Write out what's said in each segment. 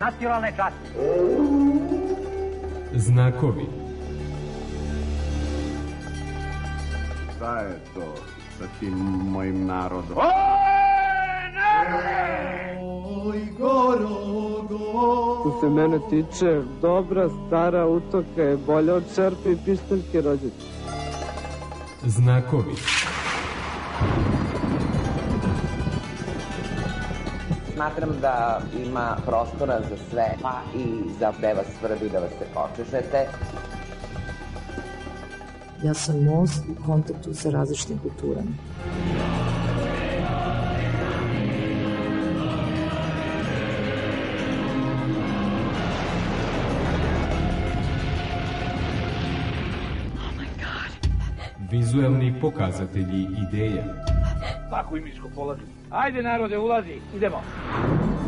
Nacionalne časti. Znakovi. Šta je to sa tim mojim narodom? Oj, Gorogo. Što se mene tiče, dobra stara utoka je bolja od šerpe i pištaljke rođaka. Znakovi. Smatram da ima prostora za sve, pa i za gde vas svrbi da vas se počešete. Ja sam most u kontaktu sa različitim kulturama. Vizuelni pokazatelji ideja. Svaku imičku polazi. Ajde narode, ulazi, idemo.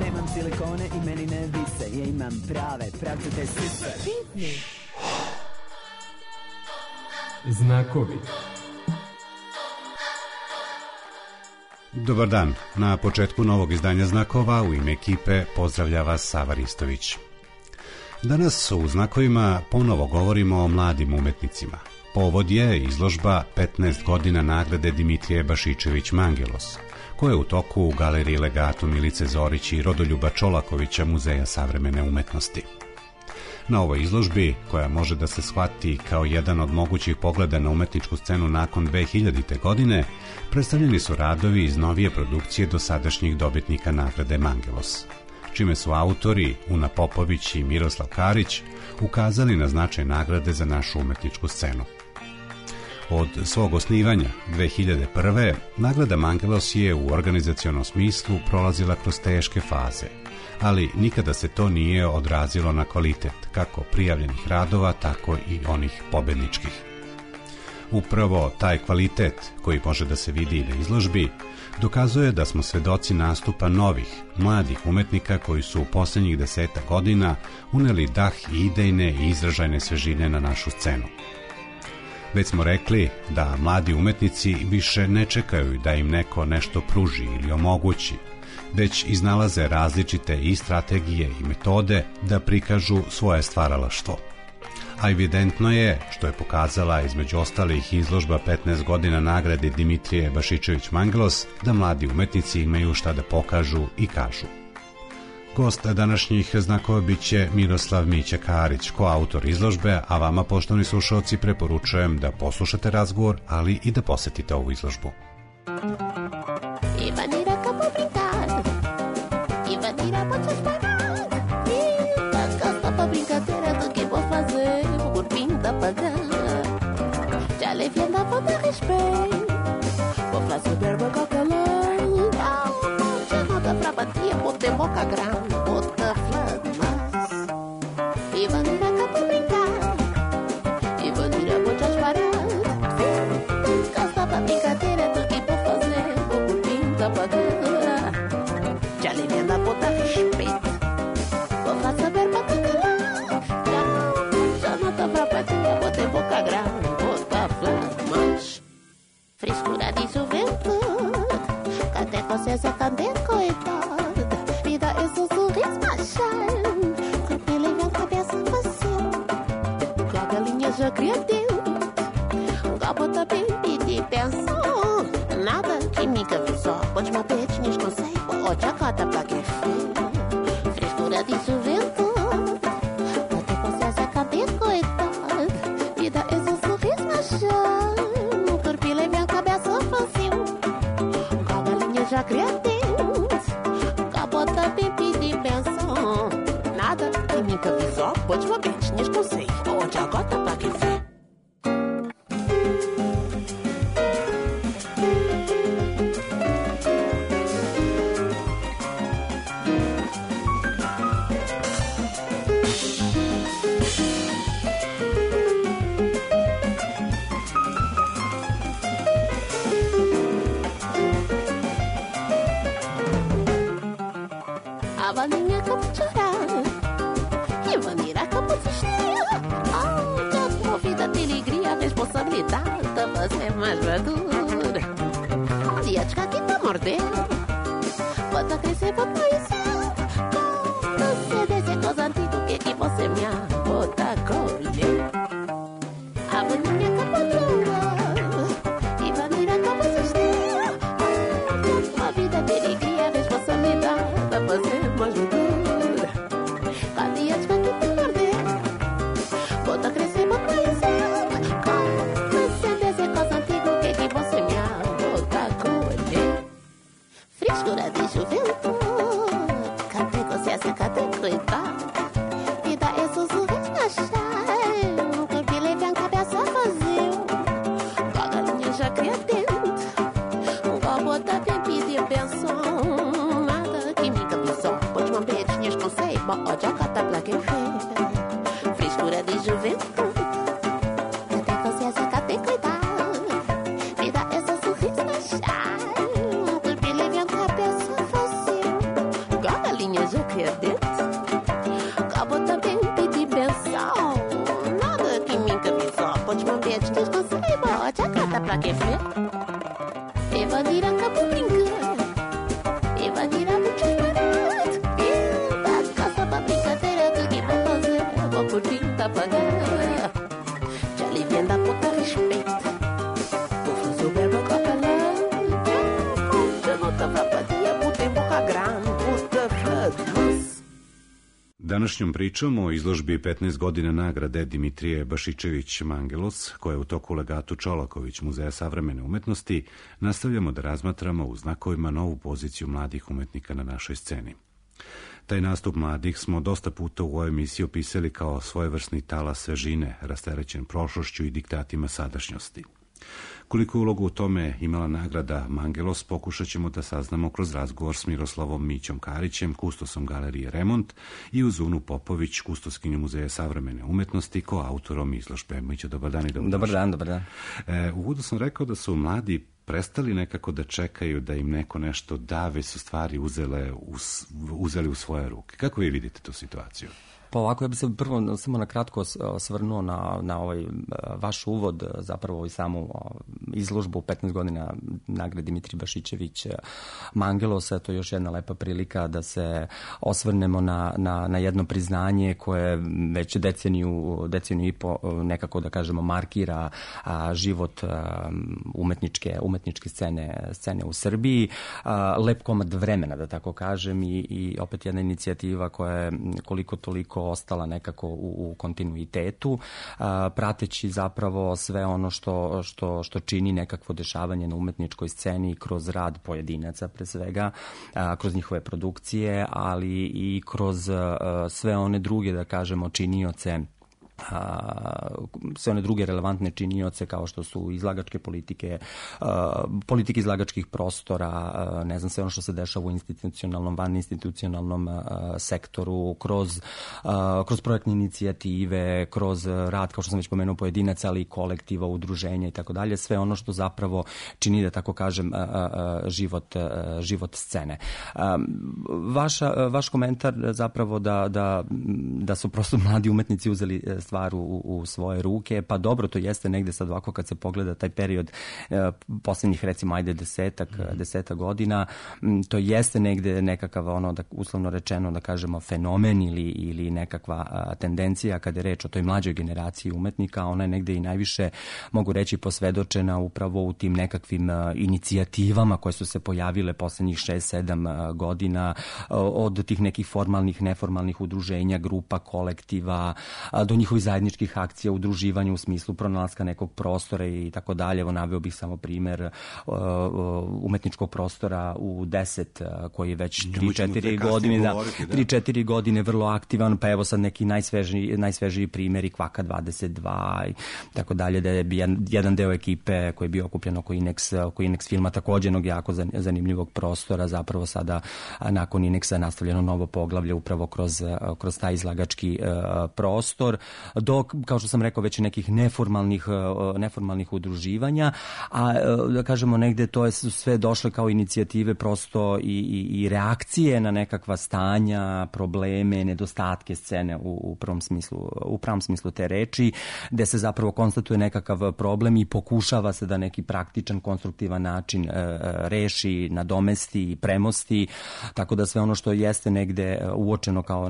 Nemam silikone i meni ne vise, ja imam prave, pravcate sise. Znakovi. Dobar dan. Na početku novog izdanja Znakova u ime ekipe pozdravlja vas Sava Ristović. Danas u Znakovima ponovo govorimo o mladim umetnicima. Povod je izložba 15 godina nagrade Dimitrije Bašičević Mangelos, koja je u toku u galeriji Legatu Milice Zorić i Rodoljuba Čolakovića Muzeja savremene umetnosti. Na ovoj izložbi, koja može da se shvati kao jedan od mogućih pogleda na umetničku scenu nakon 2000. godine, predstavljeni su radovi iz novije produkcije dosadašnjih dobitnika nagrade Mangelos, čime su autori Una Popović i Miroslav Karić ukazali na značaj nagrade za našu umetničku scenu. Od svog osnivanja 2001. nagrada Mangelos je u organizacionom smislu prolazila kroz teške faze, ali nikada se to nije odrazilo na kvalitet kako prijavljenih radova, tako i onih pobedničkih. Upravo taj kvalitet, koji može da se vidi i na izložbi, dokazuje da smo svedoci nastupa novih, mladih umetnika koji su u posljednjih 10 godina uneli dah i idejne i izražajne svežine na našu scenu. Već smo rekli da mladi umetnici više ne čekaju da im neko nešto pruži ili omogući, već iznalaze različite i strategije i metode da prikažu svoje stvaralaštvo. A evidentno je, što je pokazala između ostalih izložba 15 godina nagrade Dimitrije Bašičević Mangelos, da mladi umetnici imaju šta da pokažu i kažu. Gost današnjih Znakova biće Miroslav Mića Karić, koautor izložbe, a vama, poštovani slušalci, preporučujem da poslušate razgovor, ali i da posetite ovu izložbu. Boca grande, bota flamas. E bandeira cá pra brincar. E bandeira vou te parar. Gasta pra brincadeira do que vou fazer. Vou curtir da pagar. Já lhe vem da bota respeito. Vou fazer saber pra calar. Já não tá pra bater, bota boca grande, bota flamas. Frescura de juventude. Até você se acender, coitado. Já criativo, gabota bem e pensou. Nada que me avisou. Pode uma petinha, conselho. Pode a cota pra que fez. Frescura de juventude. Até você se acabou, coitado. Vida é um sorriso machão. Corpo leve a cabeça fácil. Galinha já criativo. Gabota bem e pensou. Nada que me avisou. Pode uma petinha, conselho. Pode a cota pra que fez. A vaninha acabou de chorar. E a vaneira acabou de estrear. Oh, movida de alegria, responsabilidade tá fazer mais madura. Asiática que tá mordendo. Bota crescer, bota isso. Com você coisa antiga, o que é que você me bota a colher? A vaninha com a patroa e vai mirar com a cesteira. Uma vida de alegria, responsabilidade a fazer mais dura. Cada dia de que te perder, bota a crescer, bota a crescer. Sempre essa coisa antiga, o que é que você me bota a colher? Frescura de juventude, cadê consciência, cadê cuidado? Vida é sussurros na chave, um corpo leve, a cabeça vazio. Com a galinha já cria dentro, um copo da bem pedir benção. Nada que me cabeção, pode uma beijinhas com ceiba, ó, já cata pra quem fez. Frescura de juventude, cadê consciência, cadê cuidado? Vida é sussurros na chave, um corpo leve, a cabeça vazio. Com a galinha já cria dentro, acabou também pedir benção. Nada que me cabeça, pode uma beijinhas com ceiba, ó, já cata pra quem fez. Evadir acabou brincando, evadir a muito barato. Da casa pra brincadeira, tudo que vou fazer, vou curtir, tá pagando. Já aliviando a pouca respeito, vou fazer o verbo com a palavra. Já não tá pra patia, puta em boca grande, puta flados. Današnjom pričom o izložbi 15 godina nagrade Dimitrije Bašičević Mangelos, koja je u toku u legatu Čolaković Muzeja savremene umetnosti, nastavljamo da razmatramo u znakovima novu poziciju mladih umetnika na našoj sceni. Taj nastup mladih smo dosta puta u ovoj emisiji opisali kao svojevrsni talas svežine, rasterećen prošlošću i diktatima sadašnjosti. Koliko ulogu u tome imala nagrada Mangelos, pokušat ćemo da saznamo kroz razgovor s Miroslavom Mićom Karićem, kustosom galerije Remont, i uz Unu Popović, kustoskinju Muzeja savremene umetnosti, koautorom izložbe. Mićo, dobar dan i dobrodošli. Dobar dan. U uvodu sam rekao da su mladi prestali nekako da čekaju da im neko nešto da, već su stvari uzeli u svoje ruke. Kako vi vidite tu situaciju? Pa ovako, ja bih se prvo samo na kratko osvrnuo na ovaj vaš uvod, zapravo i samu izložbu 15 godina nagrade Dimitrije Bašičević Mangelosa. To je još jedna lepa prilika da se osvrnemo na jedno priznanje koje već deceniju i po nekako, da kažemo, markira život umetničke scene u Srbiji. Lep komad vremena, da tako kažem, i opet jedna inicijativa koja je koliko toliko ostala nekako u kontinuitetu, prateći zapravo sve ono što čini nekakvo dešavanje na umetničkoj sceni kroz rad pojedinaca pre svega, kroz njihove produkcije, ali i kroz sve one druge, da kažemo, činioce, sve one druge relevantne činioce kao što su izlagačke politike izlagačkih prostora, ne znam, sve ono što se dešava u institucionalnom, vaninstitucionalnom sektoru, kroz projektne inicijative, kroz rad, kao što sam već pomenuo, pojedinaca, ali i kolektiva, udruženja i tako dalje, sve ono što zapravo čini, da tako kažem, život scene. Vaš komentar zapravo da su prosto mladi umetnici uzeli stvar u svoje ruke, pa dobro, to jeste negde sad ovako kad se pogleda taj period poslednjih, recimo, ajde deseta godina, to jeste negde nekakav, ono, da uslovno rečeno, da kažemo, fenomen ili nekakva tendencija kada je reč o toj mlađoj generaciji umetnika. Ona je negde i najviše, mogu reći, posvedočena upravo u tim nekakvim inicijativama koje su se pojavile poslednjih 6-7 godina, od tih nekih formalnih, neformalnih udruženja, grupa, kolektiva, do njihovih zajedničkih akcija, udruživanja u smislu pronalaska nekog prostora i tako dalje. Evo, naveo bih samo primer umetničkog prostora u 10, koji je već 3-4 godine vrlo aktivan, pa evo sad neki najsvežiji primjeri Kvaka 22 i tako dalje, da je jedan deo ekipe koji je bio okupljen oko Inex filma, takođe jednog jako zanimljivog prostora, zapravo sada nakon Inexa nastavljeno novo poglavlje upravo kroz taj izlagački prostor. do, kao što sam rekao, već nekih neformalnih udruživanja, a da kažemo negde to je sve došle kao inicijative prosto i reakcije na nekakva stanja, probleme, nedostatke scene u pravom smislu te reči, gde se zapravo konstatuje nekakav problem i pokušava se da neki praktičan, konstruktivan način reši, nadomesti, premosti, tako da sve ono što jeste negde uočeno kao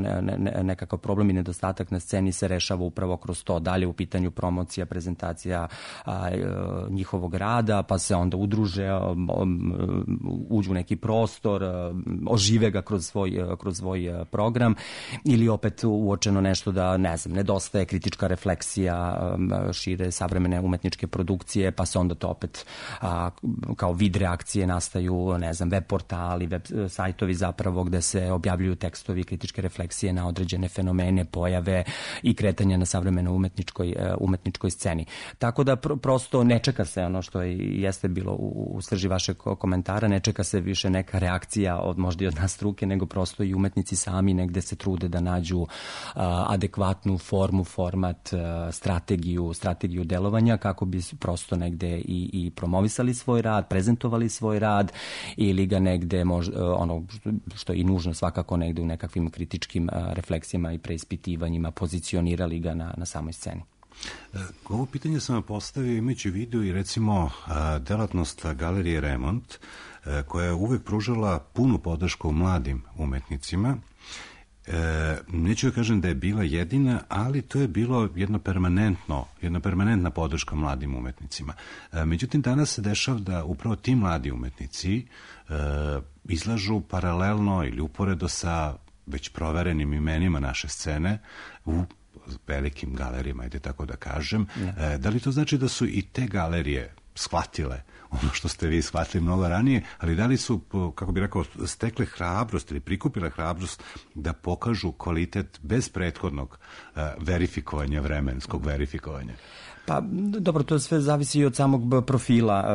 nekakav problem i nedostatak na sceni se rešava upravo kroz to. Dalje u pitanju promocija, prezentacija njihovog rada, pa se onda udruže, uđu u neki prostor, ožive ga kroz svoj program, ili opet uočeno nešto da, ne znam, nedostaje kritička refleksija, šire savremene umetničke produkcije, pa se onda to opet kao vid reakcije nastaju, ne znam, web portali, web sajtovi zapravo gde se objavljuju tekstovi, kritičke refleksije na određene fenomene, pojave i kretanja na savremenoj umetničkoj sceni. Tako da prosto ne čeka se ono što jeste bilo u srži vašeg komentara, ne čeka se više neka reakcija možda i od nas struke, nego prosto i umetnici sami negde se trude da nađu adekvatnu formu, format, strategiju delovanja kako bi prosto negde i promovisali svoj rad, prezentovali svoj rad ili ga negde ono što je i nužno svakako negde u nekakvim kritičkim refleksijama i preispitivanjima pozicionirali ga na samoj sceni. Ovo pitanje sam vam postavio imajući u vidu i recimo delatnost galerije Remont koja je uvek pružala punu podršku mladim umetnicima. Neću da kažem da je bila jedina, ali to je bilo jedna permanentna podrška mladim umetnicima. Međutim, danas se dešava da upravo ti mladi umetnici izlažu paralelno ili uporedo sa već proverenim imenima naše scene u velikim galerijama, ajde tako da kažem. Da li to znači da su i te galerije shvatile ono što ste vi shvatili mnogo ranije, ali da li su, kako bih rekao, stekle hrabrost ili prikupile hrabrost da pokažu kvalitet bez prethodnog vremenskog verifikovanja? Pa dobro, to sve zavisi i od samog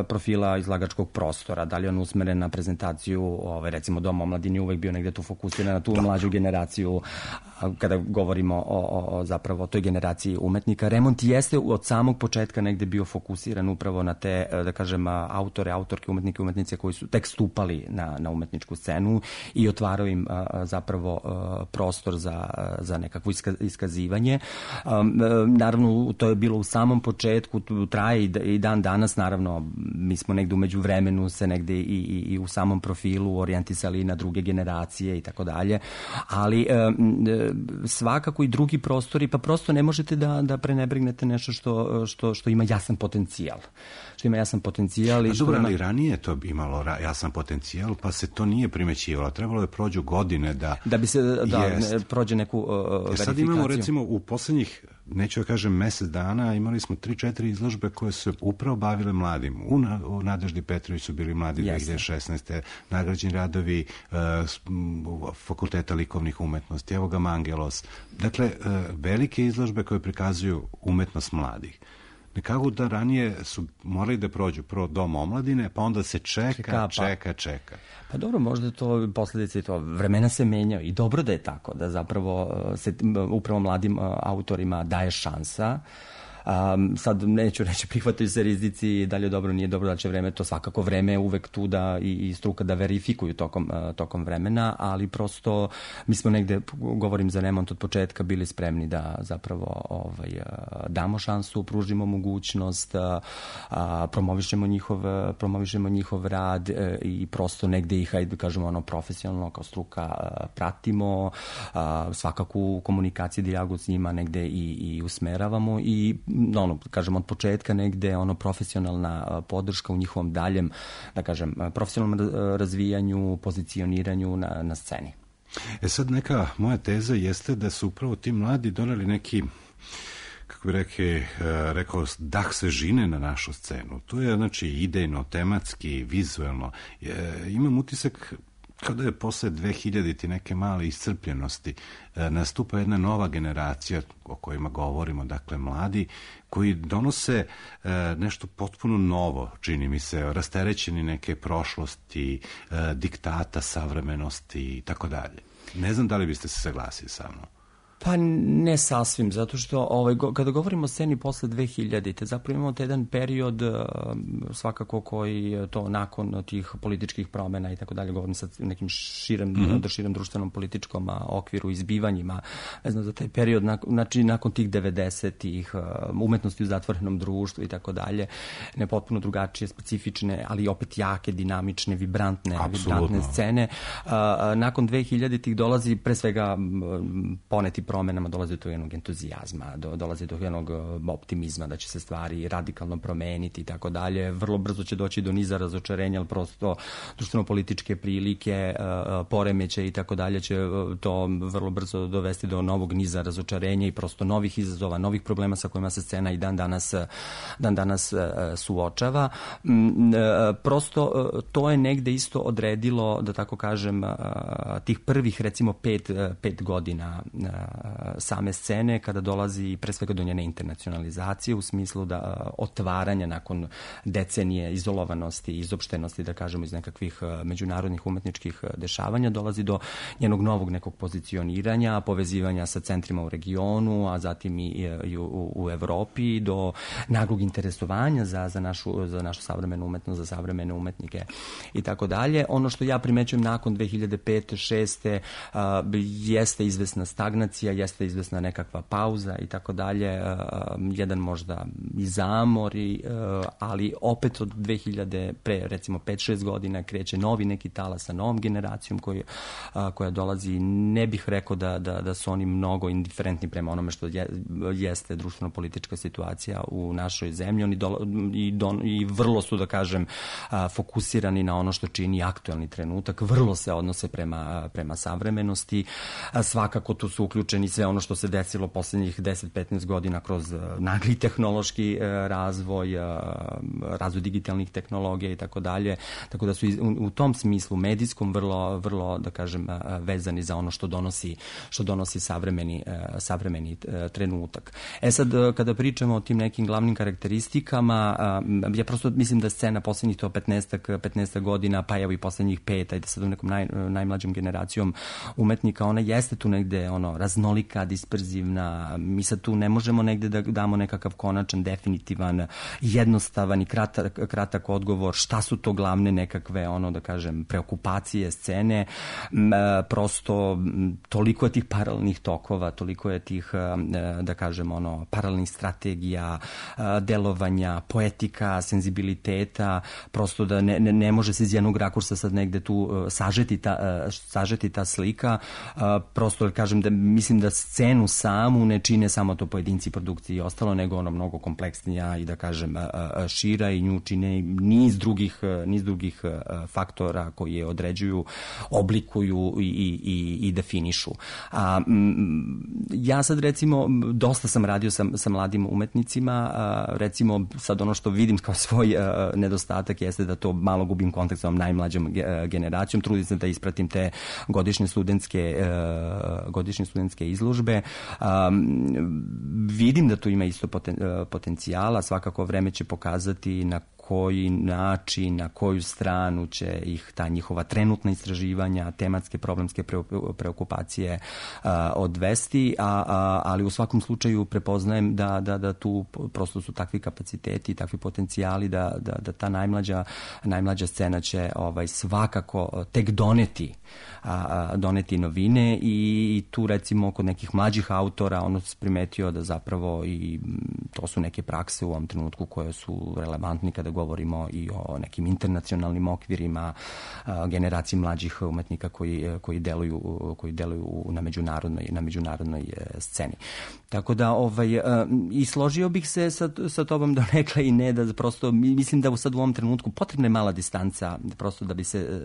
profila izlagačkog prostora. Da li je on usmeren na prezentaciju, recimo Dom omladine uvek bio negde tu fokusiran na tu mlađu generaciju, kada govorimo o zapravo toj generaciji umetnika. Remont jeste od samog početka negde bio fokusiran upravo na te, da kažem, autore, autorke, umetnike, umetnice koji su tek stupali na umetničku scenu i otvarao im zapravo prostor za nekakvo iskazivanje. Naravno, to je bilo u samom početku, traje i dan danas, naravno, mi smo negde umeđu vremenu se negde i u samom profilu orijentisali na druge generacije i tako dalje, ali svakako i drugi prostori, pa prosto ne možete da prenebregnete nešto što ima jasan potencijal. Dobro, ali ranije je to imalo jasan potencijal, pa se to nije primećivalo. Trebalo je prođu godine da bi se prođe neku verifikaciju. Sad imamo recimo u poslednjih, neću da kažem mesec dana, imali smo 3-4 izložbe koje su upravo bavile mladim. U Nadeždi Petrović su bili mladi 2016. Nagrađeni radovi Fakulteta likovnih umetnosti, evo ga Mangelos. Dakle, velike izložbe koje prikazuju umetnost mladih. Nekako da ranije su morali da prođu prvo Dom omladine, pa onda se čeka. Pa dobro, možda to posledice i to. Vremena se menjaju i dobro da je tako, da zapravo se upravo mladim autorima daje šansa. Sad neću reći prihvataju se rizici, da li je dobro, nije dobro, da će vreme, to svakako vreme je uvek tu da i struka da verifikuju tokom vremena, ali prosto mi smo negde, govorim za Remont od početka, bili spremni da zapravo damo šansu, pružimo mogućnost, promovišemo njihov rad i prosto negde ih, hajde kažemo, profesionalno kao struka pratimo, svakako u komunikaciji, dijalogu s njima negde i usmeravamo i kažem, od početka negde profesionalna podrška u njihovom daljem, da kažem, profesionalnom razvijanju, pozicioniranju na sceni. Sad neka moja teza jeste da su upravo ti mladi doneli neki, kako bi rekao, dah svežine na našu scenu. To je, znači, idejno, tematski, vizuelno. Imam utisak kao da je posle 2000-ti neke male iscrpljenosti nastupa jedna nova generacija o kojima govorimo, dakle mladi, koji donose nešto potpuno novo, čini mi se, rasterećeni neke prošlosti, diktata, savremenosti i tako dalje. Ne znam da li biste se saglasili sa mnom. Pa ne sasvim, zato što kada govorimo o sceni posle 2000-te, zapravo imamo jedan period svakako koji to nakon tih političkih promjena i tako dalje, govorim sad nekim širem društvenom političkom okviru, izbivanjima, ne znam, za taj period, znači nakon tih 90-ih, umetnosti u zatvorenom društvu i tako dalje, ne potpuno drugačije, specifične, ali opet jake, dinamične, vibrantne scene. Nakon 2000-ih dolazi pre svega poneti promjenama, dolazi do jednog entuzijazma, dolazi do jednog optimizma da će se stvari radikalno promeniti i tako dalje. Vrlo brzo će doći do niza razočarenja, ali prosto društveno-političke prilike, poremeće i tako dalje će to vrlo brzo dovesti do novog niza razočarenja i prosto novih izazova, novih problema sa kojima se scena i dan danas suočava. Prosto to je negde isto odredilo, da tako kažem, tih prvih recimo pet godina same scene, kada dolazi pre svega do njene internacionalizacije u smislu da otvaranja nakon decenije izolovanosti, izopštenosti, da kažemo, iz nekakvih međunarodnih umetničkih dešavanja, dolazi do njenog novog nekog pozicioniranja, povezivanja sa centrima u regionu, a zatim i u Evropi, do naglog interesovanja za našu savremenu umetnost, za savremene umetnike i tako dalje. Ono što ja primećujem nakon 2005-2006 jeste izvesna stagnacija, jeste izvesna nekakva pauza i tako dalje, jedan možda i zamor, ali opet od 2000 pre recimo 5-6 godina kreće novi neki talas sa novom generacijom koja dolazi. Ne bih rekao da su oni mnogo indiferentni prema onome što jeste društveno-politička situacija u našoj zemlji. Oni i vrlo su, da kažem, fokusirani na ono što čini aktuelni trenutak, vrlo se odnose prema savremenosti. Svakako tu su uključeni sve ono što se desilo poslednjih 10-15 godina kroz nagli tehnološki razvoj digitalnih tehnologija i tako dalje. Tako da su u tom smislu medijskom vrlo, da kažem, vezani za ono što donosi savremeni trenutak. Sad, kada pričamo o tim nekim glavnim karakteristikama, ja prosto mislim da scena poslednjih to 15 godina, pa evo i poslednjih 5, ajde sad u nekom najmlađom generacijom umetnika, ona jeste tu negde raznolika, disperzivna. Mi sad tu ne možemo negde da damo nekakav konačan, definitivan, jednostavan i kratak odgovor šta su to glavne nekakve, da kažem, preokupacije scene. Prosto toliko je tih paralelnih tokova, toliko je tih, da kažem, paralelnih strategija, delovanja, poetika, senzibiliteta, prosto da ne može se iz jednog rakursa sad negde tu sažeti ta slika. Prosto, kažem, da mislim da scenu samu ne čine samo to pojedinci, produkcije i ostalo, nego mnogo kompleksnija i, da kažem, šira, i nju čine niz drugih faktora koji je određuju, oblikuju i definišu. Ja sad, recimo, dosta sam radio sa mladim umetnicima, recimo sad ono što vidim kao svoj nedostatak jeste da to malo gubim kontakt sa ovom najmlađom generacijom, trudim se da ispratim te godišnje studentske izložbe. Vidim da tu ima isto potencijala, svakako vreme će pokazati na koji način, na koju stranu će ih ta njihova trenutna istraživanja, tematske, problemske preokupacije odvesti, ali u svakom slučaju prepoznajem da tu prosto su takvi kapaciteti i takvi potencijali da ta najmlađa scena će svakako tek doneti novine, i tu recimo kod nekih mlađih autora ono se primetio da zapravo i to su neke prakse u ovom trenutku koje su relevantni kada govorimo i o nekim internacionalnim okvirima, generaciji mlađih umetnika koji deluju na međunarodnoj sceni. Tako da i složio bih se sa tobom donekle i ne, da prosto mislim da sad u ovom trenutku potrebna je mala distanca prosto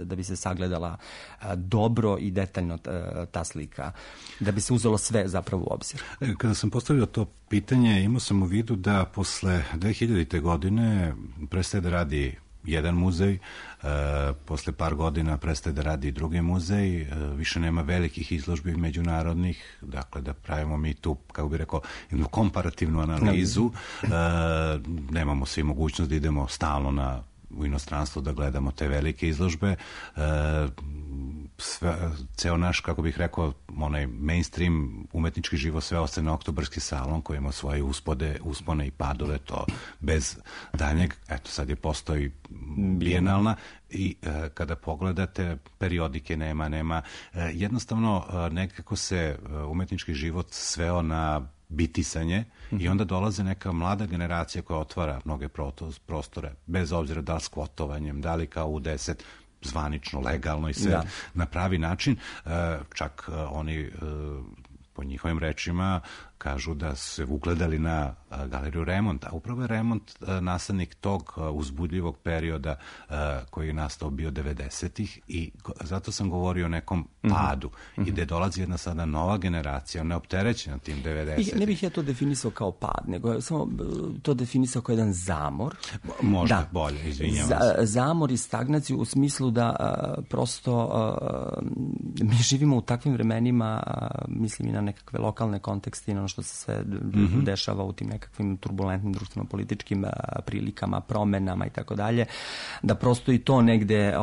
da bi se sagledala dobro i detaljno ta slika, da bi se uzelo sve zapravo u obzir. Kada sam postavio to pitanje, imao sam u vidu da posle 2000. godine prestaje da radi jedan muzej, posle par godina prestaje da radi drugi muzej, više nema velikih izložbi međunarodnih, dakle da pravimo mi tu, kako bih rekao, jednu komparativnu analizu, nemamo svi mogućnost da idemo stalno na u inostranstvo da gledamo te velike izložbe. Ceo naš, kako bih rekao, onaj mainstream umetnički život sve ostaje na Oktobarski salon koji ima svoje uspone i padove, to bez daljnjeg. Eto, sad je postoji bijenalna i kada pogledate periodike nema. Jednostavno nekako se umetnički život sveo na bitisanje i onda dolaze neka mlada generacija koja otvara mnoge prostore, bez obzira da li s kvotovanjem, da li kao u 10 zvanično, legalno i sve na pravi način. Čak oni po njihovim rečima kažu da su se ugledali na galeriju Remont, a upravo je Remont nastavnik tog uzbudljivog perioda koji je nastao bio 90-ih i zato sam govorio o nekom padu i gde dolazi jedna sada nova generacija, neopterećena tim 90-ih. Ne bih ja to definisao kao pad, nego samo to definisao kao jedan zamor. Možda bolje, izvinjavam se. Zamor i stagnaciju u smislu da prosto mi živimo u takvim vremenima, mislim i na nekakve lokalne kontekste i na što se sve dešava u tim nekakvim turbulentnim društveno-političkim prilikama, promenama i tako dalje, da prosto i to negde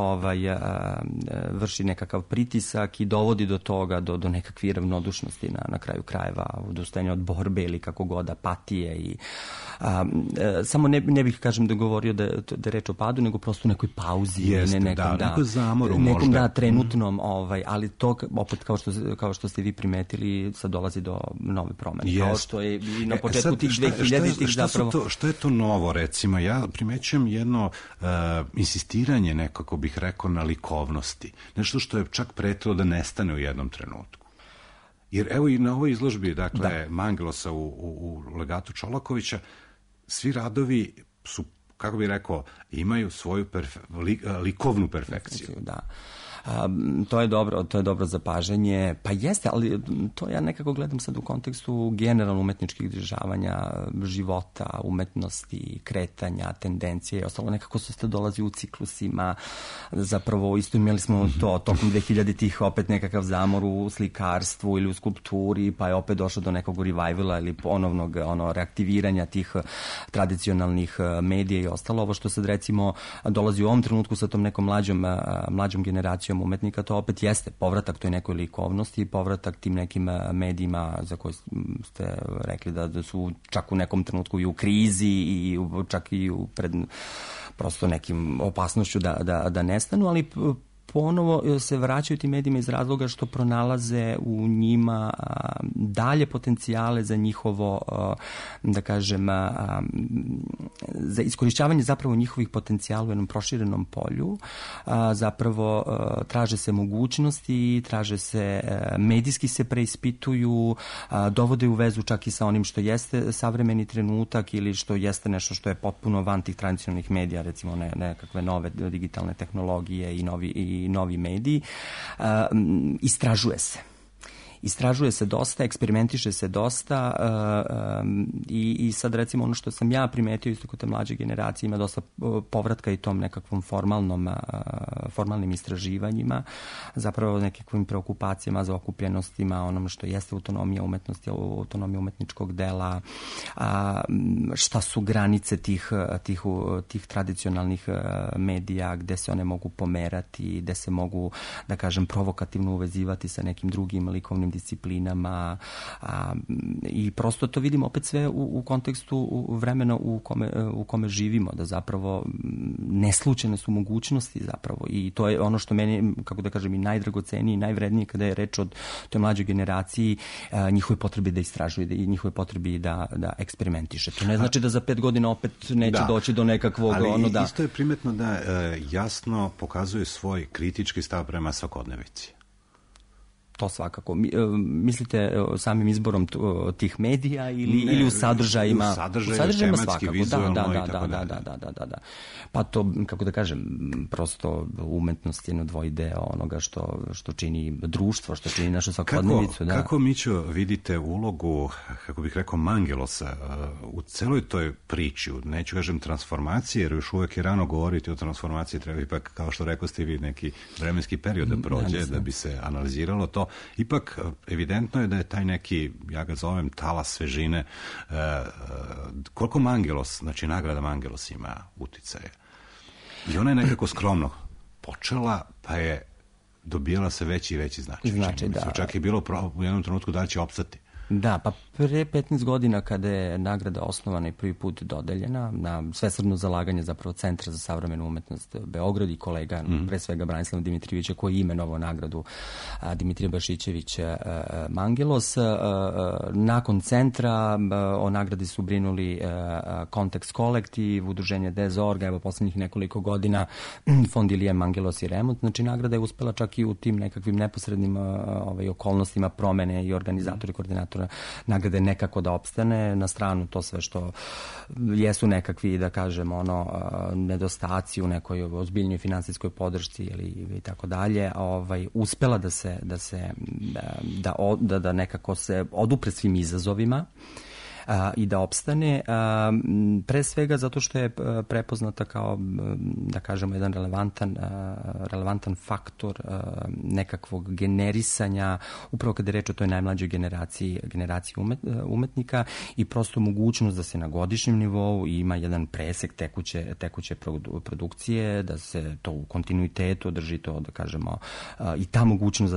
vrši nekakav pritisak i dovodi do toga, do nekakve ravnodušnosti na kraju krajeva, odustajanja od borbe ili kako god, apatije i samo ne bih, kažem, da govorio da je reč o padu, nego prosto u nekoj pauzi. Jeste, nekom zamoru možda. Nekom trenutnom, ali to opet kao što ste vi primetili, sad dolazi do nove promene. Kao što je i na početku tih 2000-ih zapravo. Što je to novo, recimo? Ja primećujem jedno insistiranje, nekako bih rekao, na likovnosti. Nešto što je čak pretilo da nestane u jednom trenutku. Jer evo i na ovoj izložbi, dakle, Mangelosa u legatu Čolakovića, svi radovi su, kako bih rekao, imaju svoju likovnu perfekciju. Da. To je dobro zapažanje. Pa jeste, ali to ja nekako gledam sad u kontekstu generalno umetničkih dešavanja, života, umetnosti, kretanja, tendencije i ostalo. Nekako se dolazi u ciklusima. Zapravo isto imali smo to tokom 2000-ih opet nekakav zamor u slikarstvu ili u skulpturi, pa je opet došlo do nekog revivala ili ponovnog reaktiviranja tih tradicionalnih medija i ostalo. Ovo što sad recimo dolazi u ovom trenutku sa tom nekom mlađom generacijom umetnika, to opet jeste povratak toj nekoj likovnosti, povratak tim nekim medijima za koje ste rekli da su čak u nekom trenutku i u krizi i čak i pred prosto nekim opasnošću da nestanu, ali ponovo se vraćaju tim medijima iz razloga što pronalaze u njima dalje potencijale za njihovo, da kažem, za iskorišćavanje zapravo njihovih potencijala u jednom proširenom polju. Zapravo traže se mogućnosti, traže se, medijski se preispituju, dovode u vezu čak i sa onim što jeste savremeni trenutak ili što jeste nešto što je potpuno van tih tradicionalnih medija, recimo nekakve nove digitalne tehnologije i novi mediji. Istražuje se dosta, eksperimentiše se dosta i sad recimo ono što sam ja primetio isto kod te mlađe generacije, ima dosta povratka i tom nekakvom formalnim istraživanjima, zapravo nekakvim preokupacijama, zaokupljenostima, onom što jeste autonomija umetnosti, autonomija umetničkog dela, šta su granice tih tradicionalnih medija, gde se one mogu pomerati, gde se mogu, da kažem, provokativno uvezivati sa nekim drugim likovnim disciplinama i prosto to vidimo opet sve u kontekstu vremena u kome živimo, da zapravo neslučajne su mogućnosti zapravo i to je ono što meni, kako da kažem, i najdragocenije i najvrednije kada je reč o toj mlađoj generaciji, njihove potrebi da istražuju i njihove potrebi da eksperimentiše. To ne znači da za 5 godina opet neće doći do nekakvog... Ali isto je primetno da jasno pokazuje svoj kritički stav prema svakodnevici. To svakako. Mislite samim izborom tih medija ili u sadržajima? U sadržaju, tematski, vizualno i tako dalje. Da. Pa to, kako da kažem, prosto umetnost je jedno dvojdeo onoga što čini društvo, što čini našu svakodnevicu. Kako, Mićo, vidite ulogu, kako bih rekao, Mangelosa u celoj toj priči, neću kažem transformacije, jer još uvek je rano govoriti o transformaciji, treba ipak, kao što rekao ste vi, neki vremenski period da prođe, da bi se analiziralo to. Ipak, evidentno je da je taj neki, ja ga zovem, talas svežine. Koliko Mangelos, znači nagrada Mangelos ima uticaja? I ona je nekako skromno počela, pa je dobijala se veći i veći značaj. Da. Čak je bilo u jednom trenutku da li će opstati. Da, pa pre 15 godina kada je nagrada osnovana i prvi put dodeljena na svesrdno zalaganje zapravo Centra za savremenu umetnost Beograd i kolega, pre svega Branislava Dimitrijevića, koji je imenovao nagradu Dimitrije Bašićević Mangelos. Nakon centra o nagradi su brinuli Kontekst kolektiv, udruženje Dezorga, evo poslednjih nekoliko godina Fond Ilije Mangelos i Remont. Znači, nagrada je uspela čak i u tim nekakvim neposrednim okolnostima promene i organizatori, koordinatori nagrade nekako da opstane, na stranu to sve što jesu nekakvi, da kažem, nedostaci u nekoj ozbiljnoj finansijskoj podršci ili tako dalje, uspela da nekako se odupre svim izazovima i da opstane, pre svega zato što je prepoznata kao, da kažemo, jedan relevantan faktor nekakvog generisanja, upravo kada je reč o toj najmlađoj generaciji umetnika i prosto mogućnost da se na godišnjem nivou ima jedan presek tekuće produkcije, da se to u kontinuitetu drži to, da kažemo, i ta mogućnost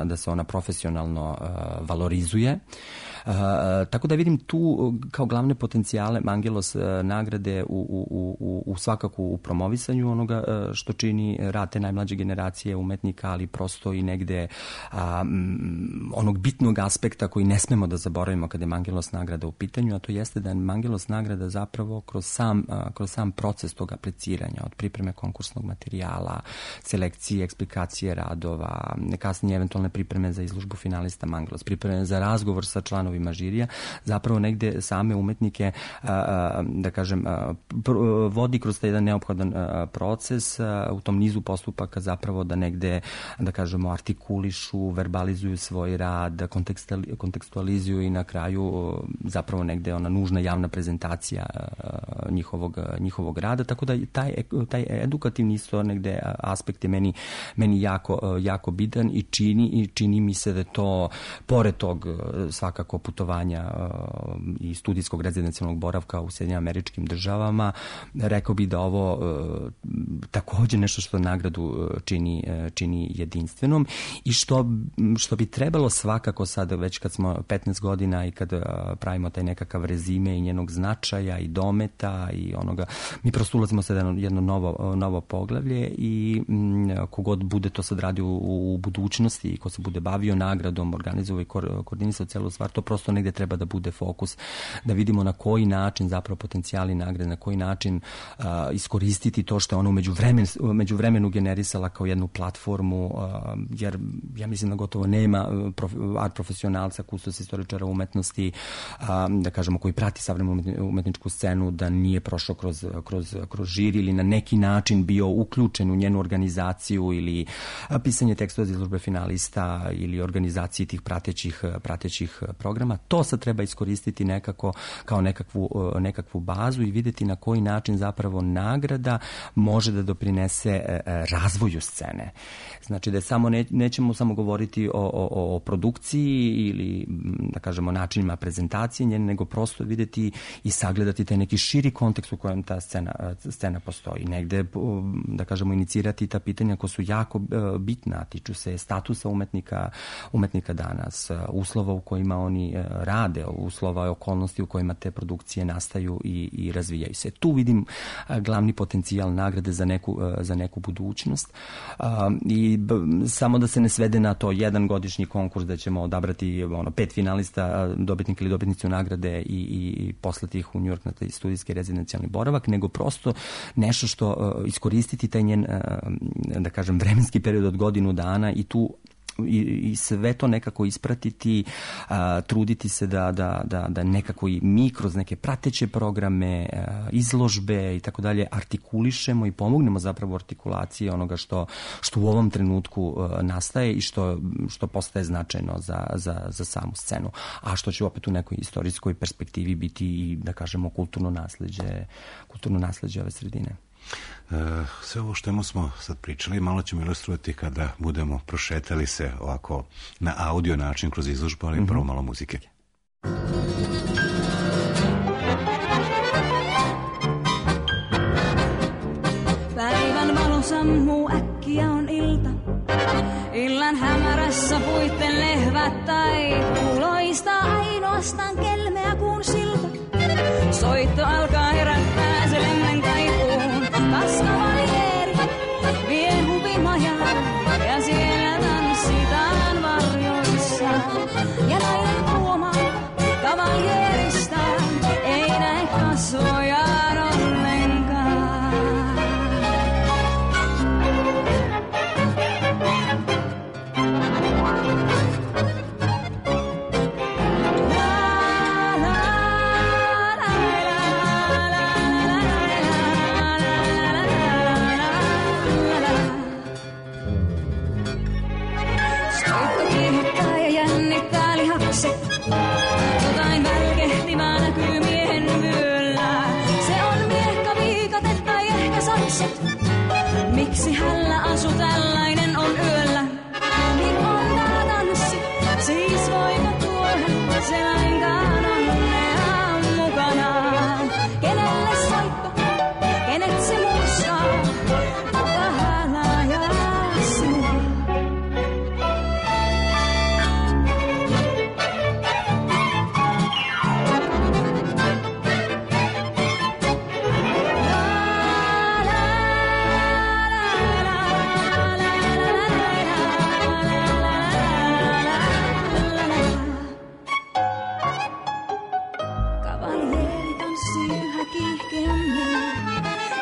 da se ona profesionalno valorizuje. Tako da vidim tu kao glavne potencijale Mangelos nagrade u svakako u promovisanju onoga što čini rad te najmlađe generacije umetnika, ali prosto i negde onog bitnog aspekta koji ne smemo da zaboravimo kada je Mangelos nagrada u pitanju, a to jeste da je Mangelos nagrada zapravo kroz sam proces tog apliciranja, od pripreme konkursnog materijala, selekcije, eksplikacije radova, kasnije eventualne pripreme za izložbu finalista Mangelos, pripreme za razgovor sa članovima žirija, zapravo negde same umetnike, da kažem, vodi kroz taj jedan neophodan proces u tom nizu postupaka zapravo da negde, da kažemo, artikulišu, verbalizuju svoj rad, kontekstualizuju i na kraju zapravo negde ona nužna javna prezentacija njihovog rada, tako da taj edukativni isto negde aspekt je meni jako bitan i čini mi se da to, pored tog svakako putovanja i studijskog rezidencijalnog boravka u Sjedinjenim Američkim Državama, rekao bih da ovo takođe nešto što nagradu čini jedinstvenom i što bi trebalo svakako sad, već kad smo 15 godina i kad pravimo taj nekakav rezime i njenog značaja i dometa i onoga, mi prosto ulazimo sad jedno novo poglavlje i kogod bude to sad radio u budućnosti i ko se bude bavio nagradom, organizovao i koordinisao celu stvar, to prosto negde treba da bude fokus, da vidimo na koji način zapravo potencijali nagrade, na koji način iskoristiti to što je ona umeđu vremenu generisala kao jednu platformu, jer ja mislim da gotovo nema art profesionalca, kustos istoričara umetnosti, da kažemo, koji prati savremenu umetničku scenu, da nije prošao kroz žiri ili na neki način bio uključen u njenu organizaciju ili pisanje tekstova za izložbe finalista ili organizaciji tih pratećih programa. To sad treba iskoristiti nekako kao nekakvu bazu i videti na koji način zapravo nagrada može da doprinese razvoju scene. Znači da nećemo samo govoriti o produkciji ili, da kažemo, načinima prezentacije njene, nego prosto videti i sagledati taj neki širi kontekst u kojem ta scena postoji. Negde, da kažemo, inicirati ta pitanja koja su jako bitna, tiču se statusa umetnika danas, uslova u kojima oni rade, uslova i okolnosti u kojima te produkcije nastaju i razvijaju se. Tu vidim glavni potencijal nagrade za neku budućnost i samo da se ne svede na to jedan godišnji konkurs da ćemo odabrati 5 finalista, dobitnika ili dobitnicu nagrade i poslati ih u New York na taj studijski rezidencijalni boravak, nego prosto nešto što iskoristiti taj njen, da kažem, vremenski period od godinu dana i tu i sve to nekako ispratiti, truditi se da nekako i mi kroz neke prateće programe, izložbe i tako dalje artikulišemo i pomognemo zapravo artikulaciji onoga što u ovom trenutku nastaje i što postaje značajno za samu scenu, a što će opet u nekoj istorijskoj perspektivi biti i, da kažemo, kulturno nasleđe ove sredine. Sve ovo što smo sad pričali malo ćemo ilustrovati kada budemo prošetali se ovako na audio način kroz izložbu, ali prvo malo muzike. Bye. sammuu äkkiä on ilta. Illan hämärässä puitten lehvät taipuu. Loistaa ainoastaan kelmeä kuun silta. Soitto alkaa herättää se lemmen kaipuun. Kaskavalieri vie huvimajaan ja siellä tanssitaan varjoissa. Ja nainen huomaa kavalierista ei näe kasvojaan ollenkaan. Jotain välkehtivää näkyy miehen vyöllä. Se on miekka, viikatet tai ehkä sakset. Miksi hällä asu tällainen on yöllä? Niin on tää tanssi, siis voiko tuoda se lainkaan onnea mukanaan? Kenelle soitto, kenet se muistaa? Kuka hälää sinua?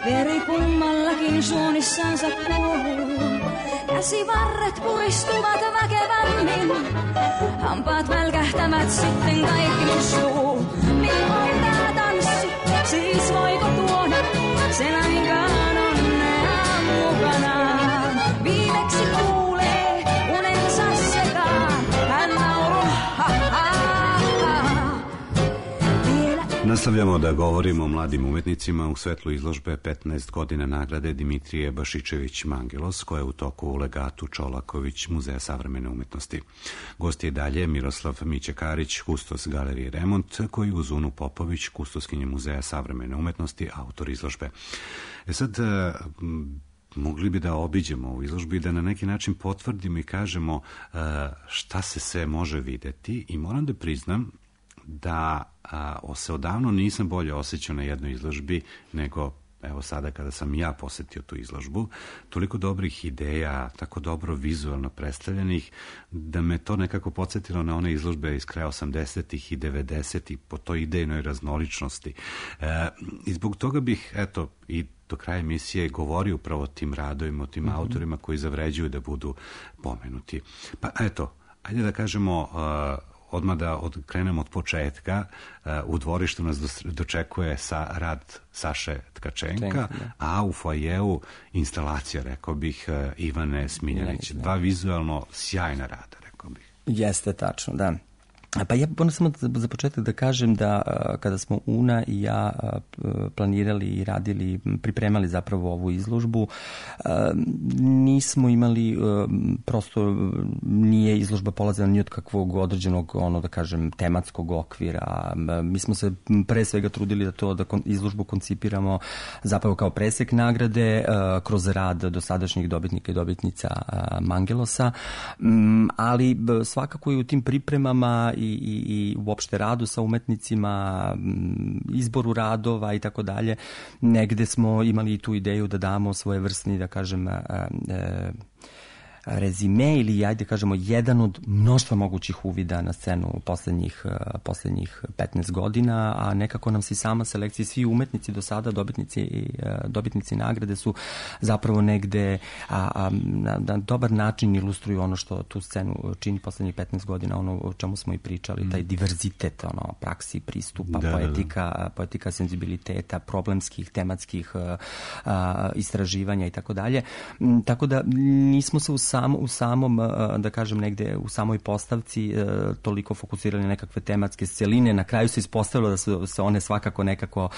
Veri kummallakin suunissansa kuohuu. Käsivarret puristuvat väkevämmin. Hampaat välkähtävät sitten kaikki mustuu. Milloin tää tanssi, siis voiko tuoda se lainkaan onnea mukanaan? Viimeksi kuulee unensa sekaan. Hän nauruu, ha ha ha. Nastavljamo da govorimo o mladim umetnicima u svetlu izložbe 15 godina nagrade Dimitrije Bašičević Mangelos, koja je u toku u legatu Čolaković Muzeja savremene umetnosti. Gost je dalje Miroslav Mićekarić, kustos Galerije Remont, koji uz Unu Popović, kustoskinje Muzeja savremene umetnosti, autor izložbe. Sad, mogli bi da obiđemo u izložbi, da na neki način potvrdimo i kažemo šta se sve može videti, i moram da priznam da se odavno nisam bolje osjećao na jednoj izložbi nego evo sada kada sam ja posetio tu izložbu. Toliko dobrih ideja, tako dobro vizualno predstavljenih, da me to nekako podsjetilo na one izložbe iz kraja 80-ih i 90-ih po toj idejnoj raznoličnosti. I zbog toga bih, eto, i do kraja emisije govorio upravo o tim radovima, o tim autorima koji zavređuju da budu pomenuti. Pa eto, ajde da kažemo odmah da krenemo od početka. U dvorištu nas dočekuje rad Saše Tkačenka, a u foajeu instalacija, rekao bih, Ivane Smiljanić. Dva vizualno sjajna rada, rekao bih. Jeste, tačno, da. Pa ja moram samo za početak da kažem da kada smo Una i ja planirali i radili, pripremali zapravo ovu izložbu, nismo imali, prosto nije izložba polazila ni od kakvog određenog, da kažem, tematskog okvira. Mi smo se pre svega trudili da izložbu koncipiramo zapravo kao presek nagrade kroz rad dosadašnjih dobitnika i dobitnica Mangelosa, ali svakako i u tim pripremama i uopšte radu sa umetnicima, izboru radova i tako dalje, negde smo imali tu ideju da damo svojevrsni, da kažem, rezime ili, ajde kažemo, jedan od mnoštva mogućih uvida na scenu poslednjih 15 godina, a nekako nam se sama selekcija, svi umetnici do sada, dobitnici nagrade su zapravo negde na dobar način ilustruju ono što tu scenu čini poslednjih 15 godina, ono o čemu smo i pričali, taj diverzitet, praksi, pristupa, poetika senzibiliteta, problemskih, tematskih istraživanja i tako dalje. Tako da nismo se u samom, da kažem negde, u samoj postavci toliko fokusirali na nekakve tematske celine. Na kraju se ispostavilo da su se one svakako nekako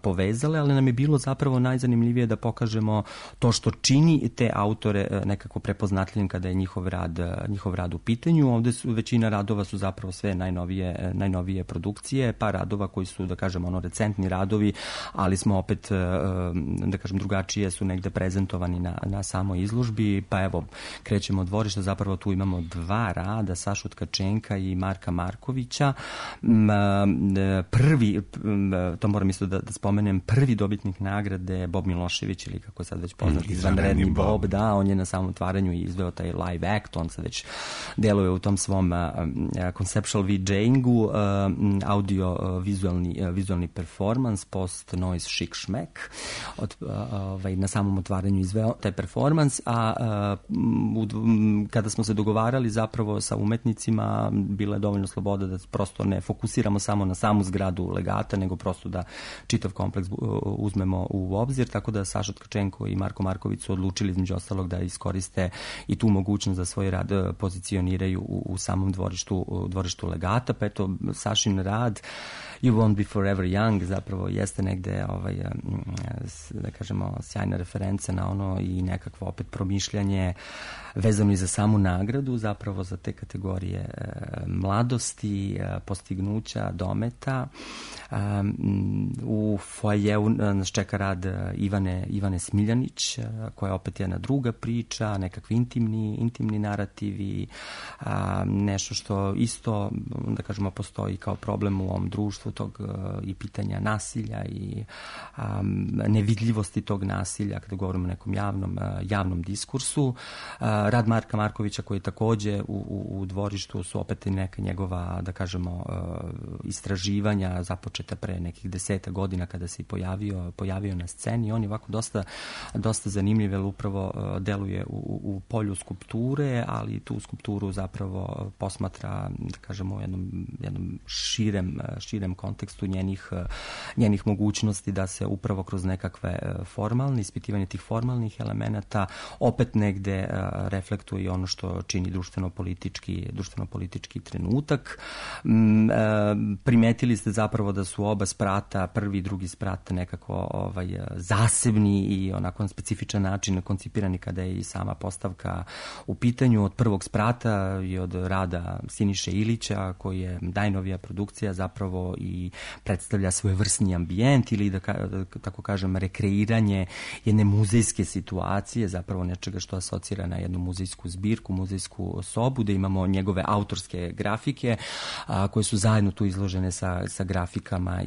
povezale, ali nam je bilo zapravo najzanimljivije da pokažemo to što čini te autore nekako prepoznatljivim kada je njihov rad u pitanju. Ovde većina radova su zapravo sve najnovije produkcije, pa radova koji su, da kažem, recentni radovi, ali smo opet, da kažem, drugačije su negde prezentovani na samoj izložbi. Pa evo, krećemo od dvorišta, zapravo tu imamo dva rada, Sašu Tkačenka i Marka Markovića. Prvi, to moram isto da spomenem, prvi dobitnik nagrade Bob Milošević, ili kako je sad već poznat, izvanredni Bob, da, on je na samom otvaranju izveo taj live act, on sad već deluje u tom svom conceptual VJ-ingu, audio-vizualni performance, post-noise chic šmek. Na samom otvaranju izveo taj performance, a kada smo se dogovarali zapravo sa umetnicima, bila je dovoljno sloboda da prosto ne fokusiramo samo na samu zgradu legata, nego prosto da čitav kompleks uzmemo u obzir, tako da Saša Tkačenko i Marko Marković su odlučili između ostalog da iskoriste i tu mogućnost da svoj rad pozicioniraju u samom dvorištu legata. Pa eto, Sašin rad You Won't Be Forever Young zapravo jeste negde, da kažemo, sjajna referenca na ono i nekakvo opet promišljanje vezano i za samu nagradu, zapravo za te kategorije mladosti, postignuća, dometa. U foajeu nas čeka rad Ivane Smiljanić, koja opet je jedna druga priča, nekakvi intimni narativi, nešto što isto, da kažemo, postoji kao problem u ovom društvu, tog i pitanja nasilja i nevidljivosti tog nasilja kada govorimo o nekom javnom diskursu. Rad Marka Markovića, koji je takođe u dvorištu, su opet neka njegova, da kažemo, istraživanja započeta pre nekih 10 godina kada se pojavio na sceni. On je ovako dosta zanimljiv, jer upravo deluje u polju skulpture, ali tu skulpturu zapravo posmatra, da kažemo, u jednom širem kontekstu njenih mogućnosti da se upravo kroz nekakve formalne, ispitivanje tih formalnih elemenata opet negde reflektuje ono što čini društveno-politički trenutak. Primetili ste zapravo da su oba sprata, prvi i drugi sprat, nekako zasebni i onako na specifičan način koncipirani kada je i sama postavka u pitanju. Od prvog sprata i od rada Siniše Ilića, koji je najnovija produkcija, zapravo i predstavlja svojevrsni ambijent ili, da tako kažem, rekreiranje jedne muzejske situacije, zapravo nečega što asocira na jednu muzejsku zbirku, muzejsku sobu, da imamo njegove autorske grafike koje su zajedno tu izložene sa grafikama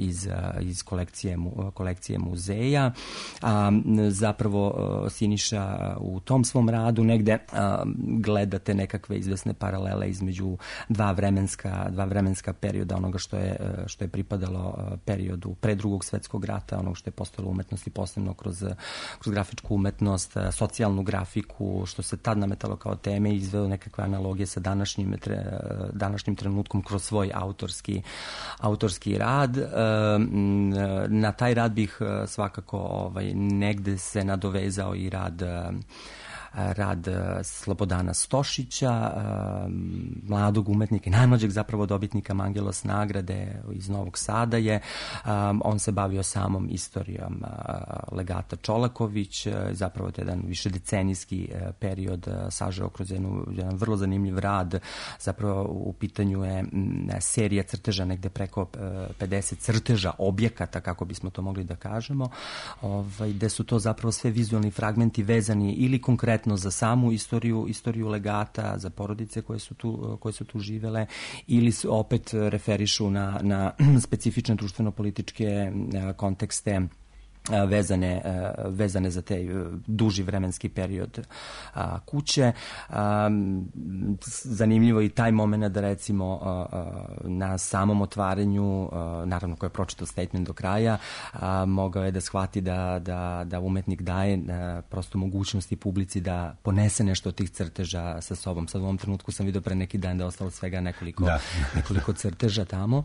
iz kolekcije muzeja. Zapravo Siniša u tom svom radu negde gledate nekakve izvesne paralele između dva vremenska perioda, onoga što je pripadalo periodu pre Drugog svetskog rata, onog što je postojalo umetnosti, posebno kroz grafičku umetnost, socijalnu grafiku, što se tad nametalo kao teme, izveo nekakve analogije sa današnjim trenutkom kroz svoj autorski rad. Na taj rad bih svakako negde se nadovezao i rad Slobodana Stošića, mladog umetnika i najmlađeg zapravo dobitnika Mangelos nagrade iz Novog Sada je. On se bavio samom istorijom legata Čolaković, zapravo to je jedan višedecenijski period sažeo kroz jedan vrlo zanimljiv rad. Zapravo u pitanju je serija crteža, negde preko 50 crteža objekata, kako bismo to mogli da kažemo, gde su to zapravo sve vizualni fragmenti vezani ili konkretno za samu istoriju legata, za porodice koje su tu živele, ili opet referišu na specifične društveno-političke kontekste vezane za taj duži vremenski period kuće. Zanimljivo je i taj moment da recimo na samom otvaranju, naravno ko je pročitao statement do kraja, mogao je da shvati da umetnik daje prosto mogućnosti publici da ponese nešto od tih crteža sa sobom. Sad u ovom trenutku sam vidio pre neki dan da je ostalo svega nekoliko crteža tamo.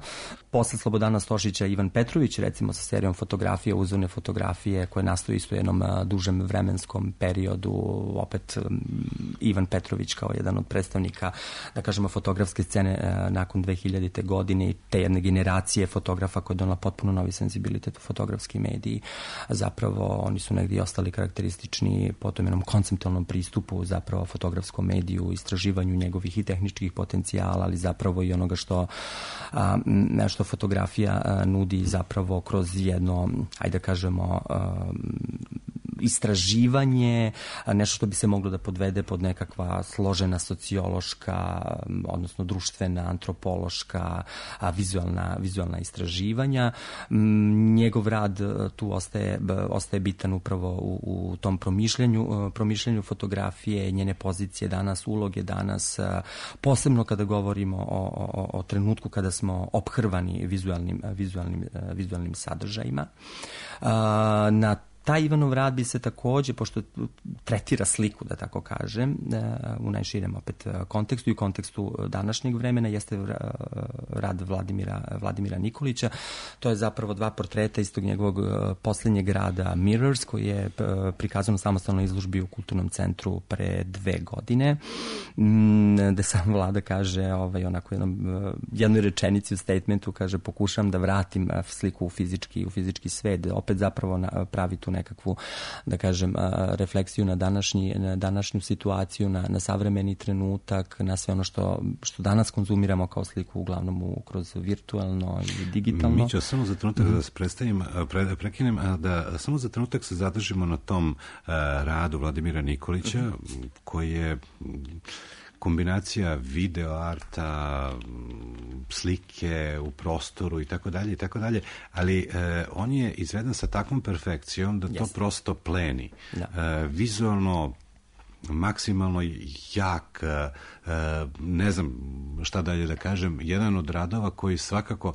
Posle Slobodana Stošića Ivan Petrović, recimo sa serijom fotografija, uzorne fotografije fotografije koje nastaju isto u jednom dužem vremenskom periodu. Opet Ivan Petrović kao jedan od predstavnika, da kažemo, fotografske scene nakon 2000. godine i te jedne generacije fotografa koja je donala potpuno novi senzibilitet u fotografski mediji. Zapravo oni su negdje ostali karakteristični po tom jednom konceptualnom pristupu zapravo fotografskom mediju, istraživanju njegovih i tehničkih potencijala, ali zapravo i onoga što fotografija nudi zapravo kroz jedno, ajde da kažemo, istraživanje, nešto što bi se moglo da podvede pod nekakva složena sociološka, odnosno društvena, antropološka, vizualna istraživanja. Njegov rad tu ostaje bitan upravo u tom promišljanju fotografije, njene pozicije danas, uloge danas, posebno kada govorimo o trenutku kada smo ophrvani vizualnim sadržajima. Na taj Ivanov rad bi se takođe, pošto tretira sliku, da tako kažem, u najširem opet kontekstu i kontekstu današnjeg vremena, jeste rad Vladimira Nikolića. To je zapravo 2 portreta istog njegovog posljednjeg rada Mirrors, koji je prikazan u samostalnoj izložbi u Kulturnom centru pre 2 godine, gde sam Vlada kaže, onako jednoj rečenici u statementu, kaže, pokušam da vratim sliku u fizički svet, opet zapravo pravi tu nekakvu, da kažem, refleksiju na današnju situaciju, na savremeni trenutak, na sve ono što danas konzumiramo kao sliku, uglavnom kroz virtualno i digitalno. Mi ću samo za trenutak da se prekinem, da samo za trenutak se zadržimo na tom radu Vladimira Nikolića, koji je kombinacija video arta, slike u prostoru i tako dalje, ali on je izveden sa takvom perfekcijom da to prosto pleni. Vizualno maksimalno jak, ne znam šta dalje da kažem, jedan od radova koji svakako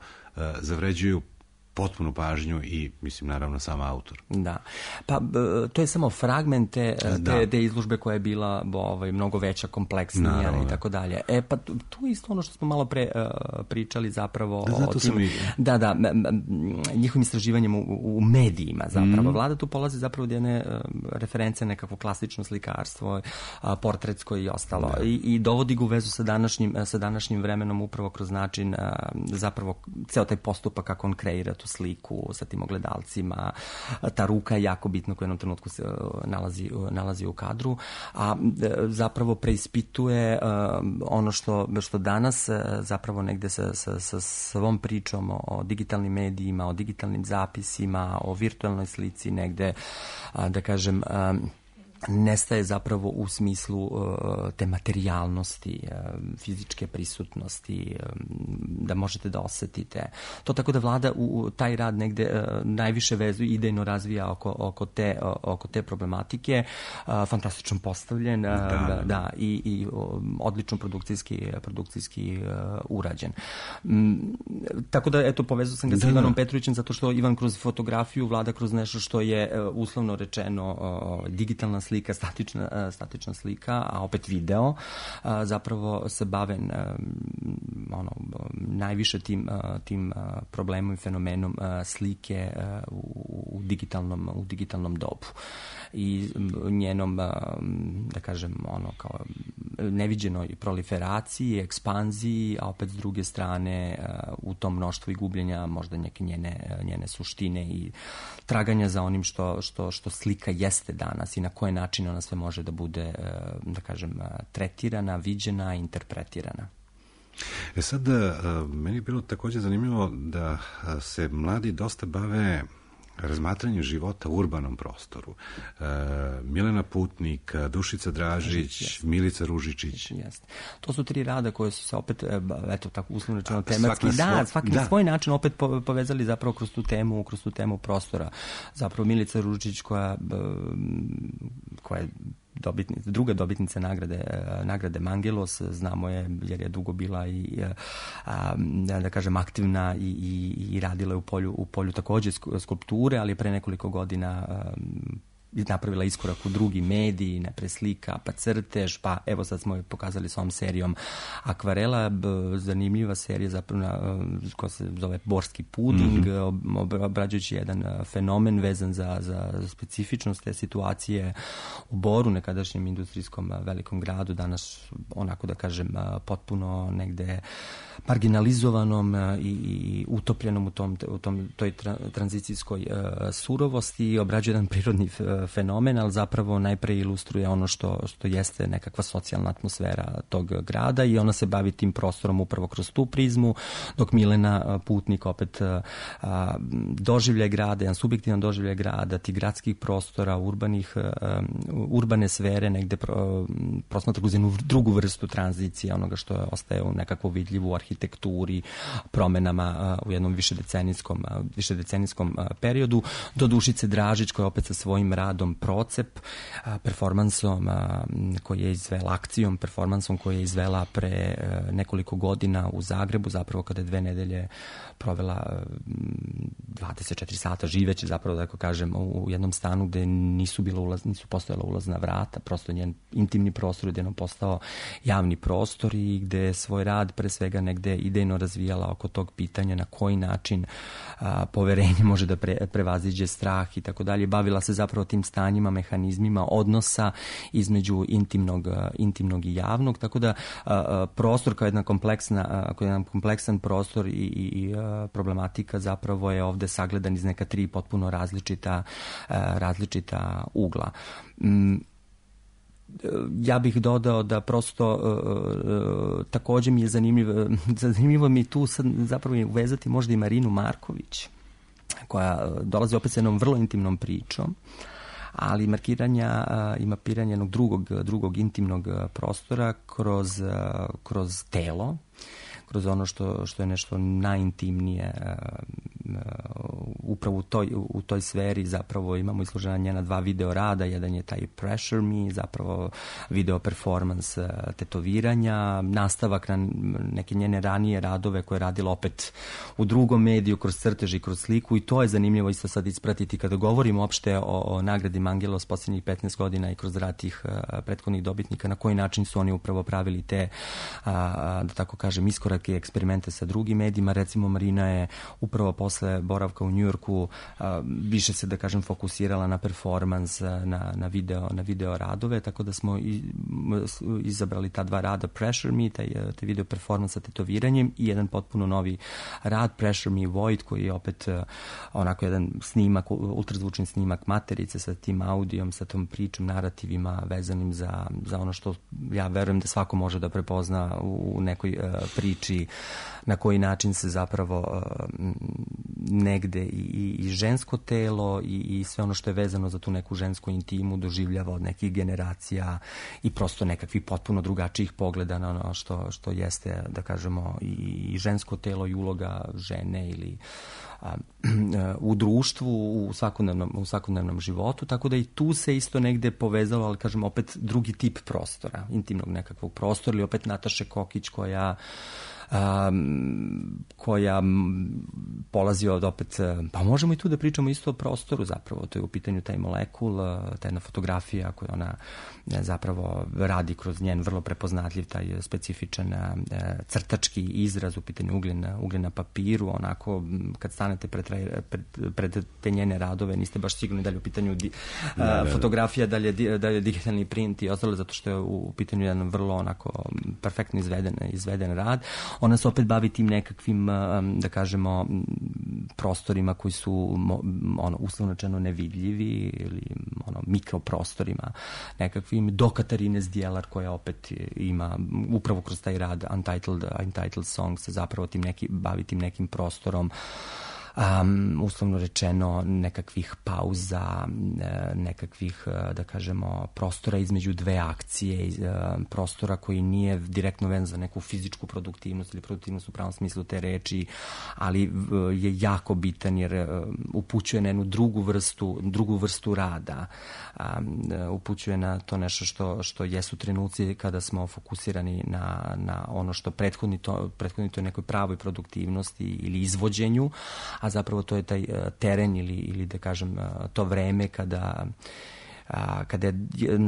zavređuju potpunu pažnju i, mislim, naravno, sam autor. Da. Pa, to je samo fragment te izložbe koja je bila mnogo veća, kompleksnija i tako dalje. Pa tu je isto ono što smo malo pre pričali zapravo o tim... Da, njihovim istraživanjem u medijima zapravo. Vlada tu polazi zapravo od jedne reference, nekakvo klasično slikarstvo, portretsko i ostalo. I dovodi ga u vezu sa današnjim vremenom upravo kroz način, zapravo, ceo taj postupak kako on kreira tu sliku sa tim ogledalcima, ta ruka je jako bitna koja u jednom trenutku se nalazi u kadru, a zapravo preispituje ono što danas zapravo negde sa svom pričom o digitalnim medijima, o digitalnim zapisima, o virtualnoj slici negde, da kažem, nestaje zapravo u smislu te materijalnosti, fizičke prisutnosti, da možete da osetite. To tako da Vlada u taj rad negde najviše vezu idejno razvija oko te problematike, fantastično postavljen, i odlično produkcijski urađen. Tako da, eto, povezao sam ga sa Ivanom Petrovićem, zato što Ivan kroz fotografiju, Vlada kroz nešto što je uslovno rečeno digitalna slika, statična slika, a opet video, zapravo se bave najviše tim problemom i fenomenom slike u digitalnom dobu i njenom, da kažem, kao neviđenoj proliferaciji, ekspanziji, a opet s druge strane u tom mnoštvu i gubljenja možda neke njene suštine i traganja za onim što slika jeste danas i na koje načine ona sve može da bude, da kažem, tretirana, viđena, interpretirana. Sad, meni je bilo također zanimljivo da se mladi dosta bave razmatranjem života u urbanom prostoru. Milena Putnik, Dušica Dražić, Milica Ružičić. Jeste. To su 3 rada koje su se opet, eto, tako uslovno rečeno, tematski, svaki na svoj način opet povezali zapravo kroz tu temu prostora. Zapravo Milica Ružičić koja je druga dobitnica nagrade Mangelos, znamo je jer je dugo bila i da kažem aktivna i radila u polju takođe skulpture, ali pre nekoliko godina napravila iskorak u drugi mediji, najpre slika, pa crtež, pa evo sad smo pokazali s ovom serijom akvarela, zanimljiva serija zapravo koja se zove Borski puding, obrađujući jedan fenomen vezan za specifičnost te situacije u Boru, nekadašnjem industrijskom velikom gradu, danas onako da kažem potpuno negde marginalizovanom i utopljenom u toj tranzicijskoj surovosti, obrađuje jedan prirodni fenomen, ali zapravo najpre ilustruje ono što jeste nekakva socijalna atmosfera tog grada i ona se bavi tim prostorom upravo kroz tu prizmu, dok Milena Putnik opet doživlje grada, jedan subjektivan doživlje grada, tih gradskih prostora, urbane sfere, negde prosmatra kroz jednu drugu vrstu tranzicije, onoga što ostaje u nekakvu vidljivu arhitekturi, promenama u jednom višedecenijskom periodu, do Dušice Dražić koja opet sa svojim radom Procep, performansom koji je izvela, akcijom, performansom koji je izvela pre nekoliko godina u Zagrebu, zapravo kada je 2 nedelje provela 24 sata živeći, zapravo da kažem, u jednom stanu gde nisu postojala ulazna vrata, prosto njen intimni prostor gde je postao javni prostor i gde svoj rad pre svega negde idejno razvijala oko tog pitanja na koji način poverenje može da prevaziđe strah i tako dalje. Bavila se zapravo tim stanjima, mehanizmima odnosa između intimnog i javnog, tako da prostor kao jedan kompleksan prostor i problematika zapravo je ovde sagledan iz neka 3 potpuno različita ugla. Ja bih dodao da prosto takođe mi je zanimljivo mi tu sad zapravo uvezati možda i Marinu Marković, koja dolazi opet sa jednom vrlo intimnom pričom, ali mapiranje jednog drugog intimnog prostora kroz telo, kroz ono što je nešto najintimnije. Upravo u toj sferi zapravo imamo izložena njena 2 video rada. Jedan je taj Pressure Me, zapravo video performance tetoviranja, nastavak na neke njene ranije radove koje je radila opet u drugom mediju, kroz crtež i kroz sliku, i to je zanimljivo isto sad ispratiti kada govorimo uopšte o nagradi Mangelos posljednjih 15 godina i kroz rad tih prethodnih dobitnika, na koji način su oni upravo pravili te, da tako kažem, iskorake i eksperimente sa drugim medijima. Recimo Marina je upravo posle boravka u Njujorku više se, da kažem, fokusirala na performans, na video radove, tako da smo izabrali ta 2 rada, Pressure Me, taj video performans sa tetoviranjem, i jedan potpuno novi rad, Pressure Me Void, koji je opet onako jedan snimak, ultrazvučni snimak materice sa tim audijom, sa tom pričom, narativima vezanim za ono što ja verujem da svako može da prepozna u nekoj priči, na koji način se zapravo negde i žensko telo i sve ono što je vezano za tu neku žensku intimu doživljava od nekih generacija i prosto nekakvih potpuno drugačijih pogleda na ono što jeste, da kažemo, i žensko telo i uloga žene ili u društvu, u svakodnevnom životu, tako da i tu se isto negde povezalo, ali kažem opet drugi tip prostora, intimnog nekakvog prostora, ili opet Nataše Kokić koja polazi od opet, pa možemo i tu da pričamo isto o prostoru zapravo, to je u pitanju taj molekul, ta jedna fotografija koju ona zapravo radi kroz njen vrlo prepoznatljiv taj specifičan crtački izraz, u pitanju ugljen na papiru, onako kad stanete pred te njene radove niste baš sigurni da li je u pitanju fotografija, da li je digitalni print i ostalo, zato što je u pitanju jedan vrlo onako perfektno izveden rad. Ona se opet bavi tim nekakvim, da kažemo, prostorima koji su uslovno rečeno nevidljivi ili mikroprostorima nekakvim, do Katarine Zdjelar koja opet ima upravo kroz taj rad Untitled Song se zapravo bavi tim nekim prostorom, uslovno rečeno nekakvih pauza, nekakvih, da kažemo, prostora između 2 akcije, prostora koji nije direktno vezan za neku fizičku produktivnost ili produktivnost u pravom smislu te reči, ali je jako bitan jer upućuje na jednu drugu vrstu rada, upućuje na to nešto što jesu trenuci kada smo fokusirani na ono što prethodni to je nekoj pravoj produktivnosti ili izvođenju, a zapravo to je taj teren ili da kažem to vreme kada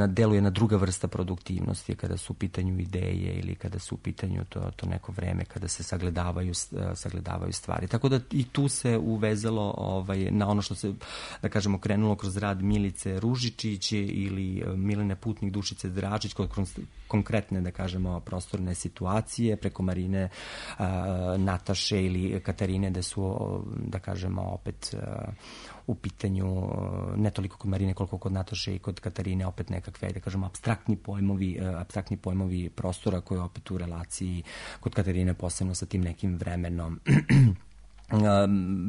deluje na druga vrsta produktivnosti, kada su u pitanju ideje ili kada su u pitanju to neko vreme kada se sagledavaju stvari. Tako da i tu se uvezalo na ono što se, da kažemo, krenulo kroz rad Milice Ružičić ili Milene Putnik, Dušice Dračić, kroz konkretne, da kažemo, prostorne situacije, preko Marine, Nataše ili Katarine, da su, da kažemo, opet u pitanju, ne toliko kod Marine koliko kod Nataše i kod Katarine, opet nekakve, da kažemo, apstraktni pojmovi prostora koji je opet u relaciji kod Katarine posebno sa tim nekim vremenom.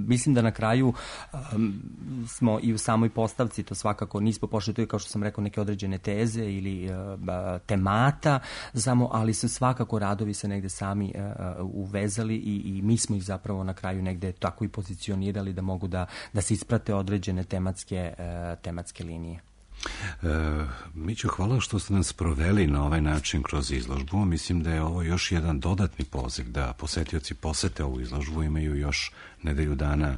Mislim da na kraju smo i u samoj postavci to svakako nismo pošli, to je kao što sam rekao neke određene teze ili temata samo, ali su svakako radovi se negde sami uvezali i mi smo ih zapravo na kraju negde tako i pozicionirali da mogu da se isprate određene tematske linije. Mićo, hvala što ste nas proveli na ovaj način kroz izložbu. Mislim da je ovo još jedan dodatni poziv da posetioci posete ovu izložbu, imaju još nedelju dana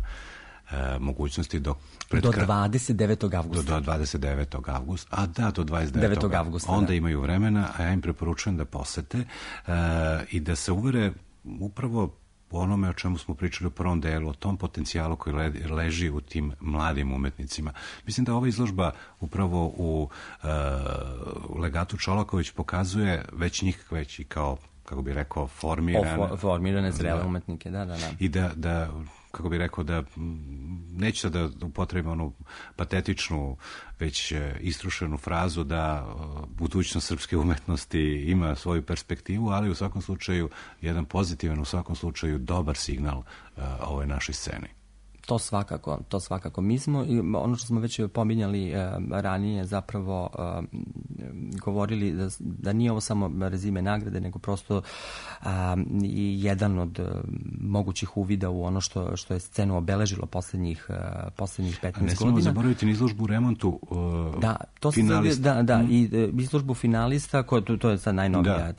mogućnosti do 29. avgusta. Do 29. avgusta. A da, do 29. avgusta. Onda imaju vremena, a ja im preporučujem da posete i da se uvere upravo po onome o čemu smo pričali u prvom delu, o tom potencijalu koji leži u tim mladim umetnicima. Mislim da ova izložba upravo u Legatu Čolaković pokazuje već njih već i kao, kako bi rekao, formirane zrele umetnike, da. I da kako bi rekao, da neću da upotrebim onu patetičnu, već istrušenu frazu da budućnost srpske umetnosti ima svoju perspektivu, ali u svakom slučaju jedan pozitivan, u svakom slučaju dobar signal ovoj našoj sceni. To svakako. Mi smo, ono što smo već pominjali ranije, zapravo govorili da nije ovo samo rezime nagrade, nego prosto i jedan od mogućih uvida u ono što je scenu obeležilo poslednjih 15 godina. Ne smemo zaboraviti ni izložbu u remontu finalista. Da, i izložbu finalista, to je sad najnovija,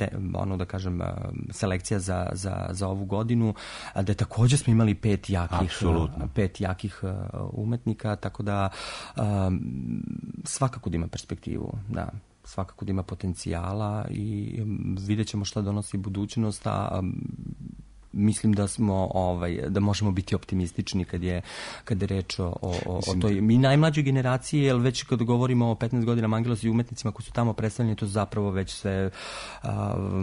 da kažem, selekcija za ovu godinu, da također smo imali 5 jakih umetnika, tako da svakako da ima perspektivu, da, svakako da ima potencijala i vidjet ćemo šta donosi budućnost, a mislim da smo da možemo biti optimistični kad je reč o toj mi najmlađoj generaciji, jer već kad govorimo o 15 godina Mangelos i umetnicima koji su tamo predstavljeni, to zapravo već sve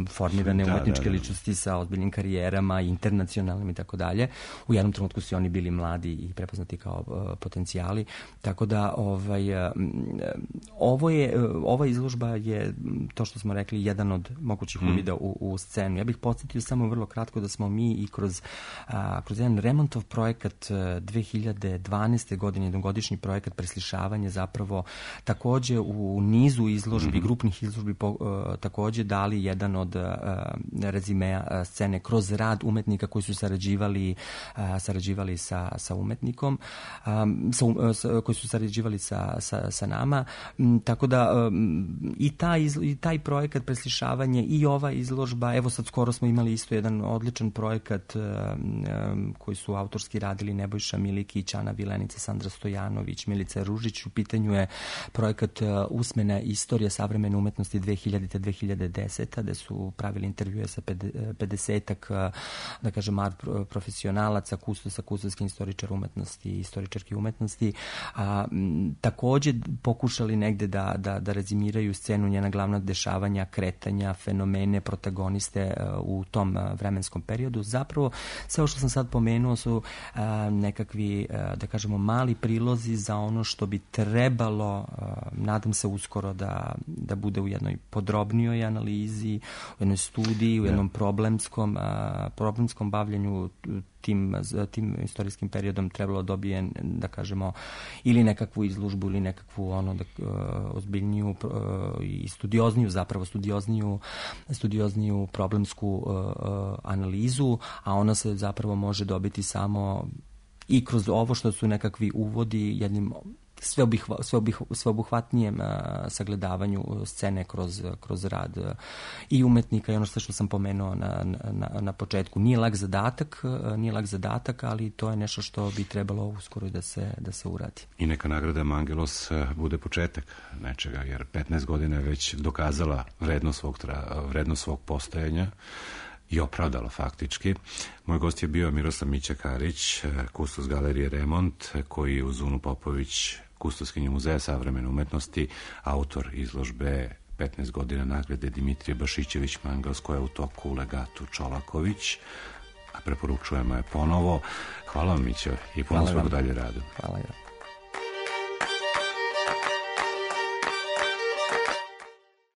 formirane umetničke ličnosti sa ozbiljnim karijerama, internacionalnim i tako dalje. U jednom trenutku su oni bili mladi i prepoznati kao potencijali, tako da ova izložba je, to što smo rekli, jedan od mogućih uvida u scenu. Ja bih podsjetio samo vrlo kratko da smo mi i kroz jedan remontov projekat 2012. godine, jednogodišnji projekat preslišavanja, zapravo takođe u nizu izložbi, grupnih izložbi takođe dali jedan od rezimea scene kroz rad umetnika koji su sarađivali sa umetnikom, koji su sarađivali sa nama, tako da i taj projekat preslišavanje i ova izložba, evo sad skoro smo imali isto jedan odličan projekat koji su autorski radili Nebojša Milikić, Ana Vilenica, Sandra Stojanović, Milica Ružić. U pitanju je projekat Usmena istorija savremene umetnosti 2000-2010, gde su pravili intervjue sa 50-ak, da kažem, profesionalaca, kustosa, kustosski istoričar umetnosti i istoričarki umetnosti. Takođe pokušali negde da rezimiraju scenu, njena glavna dešavanja, kretanja, fenomene, protagoniste u tom vremenskom periodu. Zapravo, sve ovo što sam sad pomenuo su nekakvi, da kažemo, mali prilozi za ono što bi trebalo, nadam se uskoro, da bude u jednoj podrobnijoj analizi, u jednoj studiji, u jednom problemskom bavljanju tim istorijskim periodom. Trebalo dobije, da kažemo, ili nekakvu izložbu ili nekakvu ozbiljniju i studiozniju problemsku analizu, a ona se zapravo može dobiti samo i kroz ovo što su nekakvi uvodi jednim sveobuhvatnijem sagledavanju scene kroz rad i umetnika i ono što sam pomenuo na početku. Nije lak zadatak, ali to je nešto što bi trebalo uskoro da se uradi. I neka nagrada Mangelos bude početak nečega, jer 15 godina je već dokazala vrednost svog postojanja i opravdala faktički. Moj gost je bio Miroslav Mića-Karić, kustos Galerije Remont, koji je uz Unu Popović, kustoskinju Muzeja savremene umetnosti, autor izložbe 15 godina nagrade Dimitrije Bašićević Mangels, koja je u toku u legatu Čolaković, a preporučujemo je ponovo. Hvala vam, Mića, i puno svog dalje radu. Hvala.